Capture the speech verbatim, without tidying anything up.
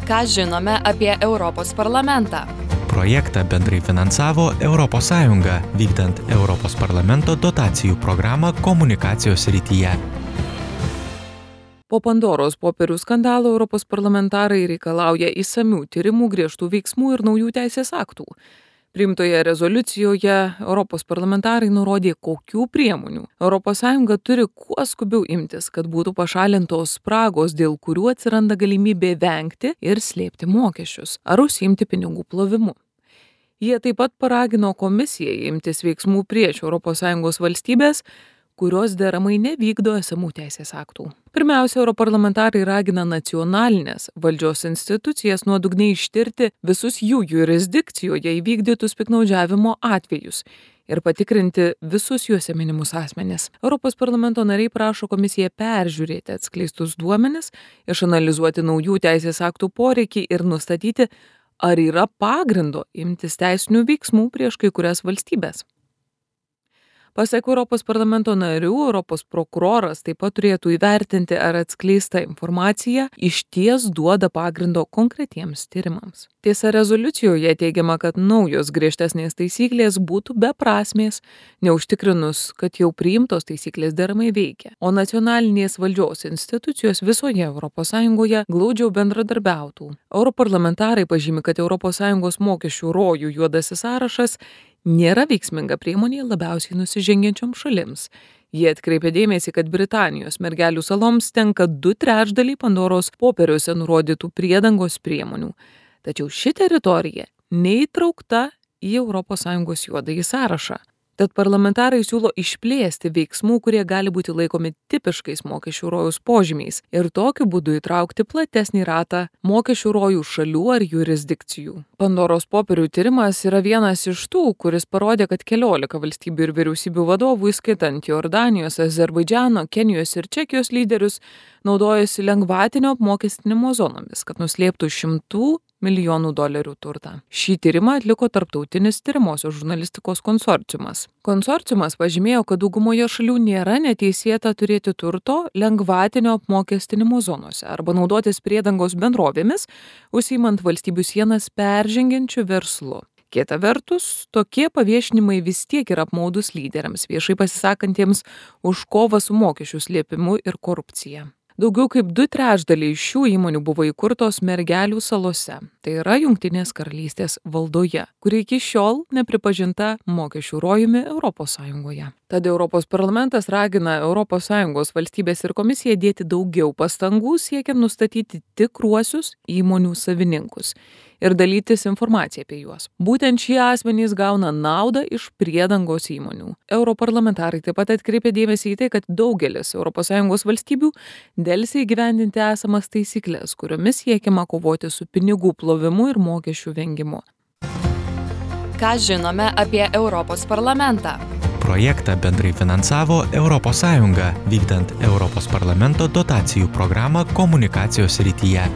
Ką žinome apie Europos parlamentą? Projektą bendrai finansavo Europos Sąjunga, vykdant Europos parlamento dotacijų programą komunikacijos srityje. Po Pandoros popierių skandalo Europos parlamentarai reikalauja išsamių tyrimų, griežtų veiksmų ir naujų teisės aktų. Priimtoje rezoliucijoje Europos parlamentarai nurodė, kokių priemonių Europos Sąjunga turi kuo skubiau imtis, kad būtų pašalintos spragos, dėl kurių atsiranda galimybė vengti ir slėpti mokesčius ar užsiimti pinigų plovimu. Jie taip pat paragino komisiją imtis veiksmų prieš Europos Sąjungos valstybės, kurios deramai nevykdo esamų teisės aktų. Pirmiausia, europarlamentarai ragina nacionalinės valdžios institucijas nuodugniai ištirti visus jų jurisdikcijoje įvykdytus piktnaudžiavimo atvejus ir patikrinti visus juose minimus asmenis. Europos parlamento nariai prašo komisiją peržiūrėti atskleistus duomenis, išanalizuoti naujų teisės aktų poreikį ir nustatyti, ar yra pagrindo imtis teisinių veiksmų prieš kai kurias valstybės. Pasak Europos parlamento narių, Europos prokuroras taip pat turėtų įvertinti, ar atskleista informacija išties duoda pagrindo konkretiems tyrimams. Tiesa, rezoliucijoje teigiama, kad naujos griežtesnės taisyklės būtų beprasmės, neužtikrinus, kad jau priimtos taisyklės deramai veikia, o nacionalinės valdžios institucijos visoje Europos Sąjungoje glaudžiau bendradarbiautų. Europarlamentarai pažymi, kad Europos Sąjungos mokesčių rojų juodasis sąrašas nėra veiksminga priemonė labiausiai nusižengiančioms šalims. Jie atkreipia dėmesį, kad Britanijos mergelių saloms tenka du trečdaliai Pandoros popieriuose nurodytų priedangos priemonių. Tačiau ši teritorija neįtraukta į Europos Sąjungos juodąjį sąrašą. Tad parlamentarai siūlo išplėsti veiksmų, kurie gali būti laikomi tipiškais mokesčių rojaus požymiais ir tokiu būdu įtraukti platesnį ratą mokesčių rojų šalių ar jurisdikcijų. Pandoros popierių tyrimas yra vienas iš tų, kuris parodė, kad keliolika valstybių ir vyriausybių vadovų, įskaitant Jordanijos, Azerbaidžano, Kenijos ir Čekijos lyderius, naudojasi lengvatinio apmokestinimo zonomis, kad nuslėptų šimtų milijonų dolerių turtą. Šį tyrimą atliko tarptautinis tyrimosios žurnalistikos konsorciumas. Konsorciumas pažymėjo, kad daugumoje šalių nėra neteisėta turėti turto lengvatinio apmokestinimo zonose arba naudotis priedangos bendrovėmis, užsiimant valstybių sienas peržengiančių verslu. Kita vertus, tokie paviešinimai vis tiek yra apmaudus lyderiams, viešai pasisakantiems už kovą su mokesčių slėpimu ir korupcija. Daugiau kaip du trečdaliai šių įmonių buvo įkurtos Mergelių salose, tai yra Jungtinės karalystės valdoje, kuri iki šiol nepripažinta mokesčių rojumi Europos Sąjungoje. Tad Europos parlamentas ragina Europos Sąjungos valstybės ir komisiją dėti daugiau pastangų siekiant nustatyti tikruosius įmonių savininkus ir dalytis informaciją apie juos. Būtent šie asmenys gauna naudą iš priedangos įmonių. Europarlamentarai taip pat atkreipė dėmesį į tai, kad daugelis Europos Sąjungos valstybių delsia įgyvendinti esamas taisyklės, kuriomis siekiama kovoti su pinigų plovimu ir mokesčių vengimu. Ką žinome apie Europos parlamentą? Projektą bendrai finansavo Europos Sąjunga, vykdant Europos parlamento dotacijų programą komunikacijos srityje.